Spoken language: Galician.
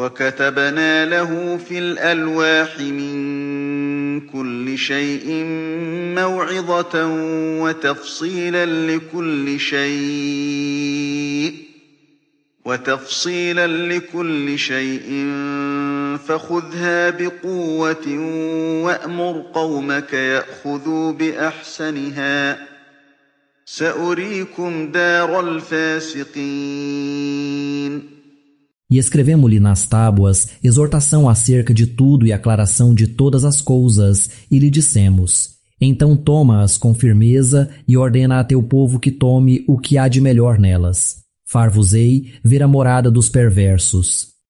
وكتبنا له في الألواح من كل شيء موعظة وتفصيلا لكل شيء فخذها بقوة وأمر قومك يأخذوا بأحسنها سأريكم دار الفاسقين. E escrevemo-lhe nas tábuas exortação acerca de tudo e aclaração de todas as coisas, e lhe dissemos: então toma-as com firmeza e ordena a teu povo que tome o que há de melhor nelas. Far-vos-ei ver a morada dos perversos.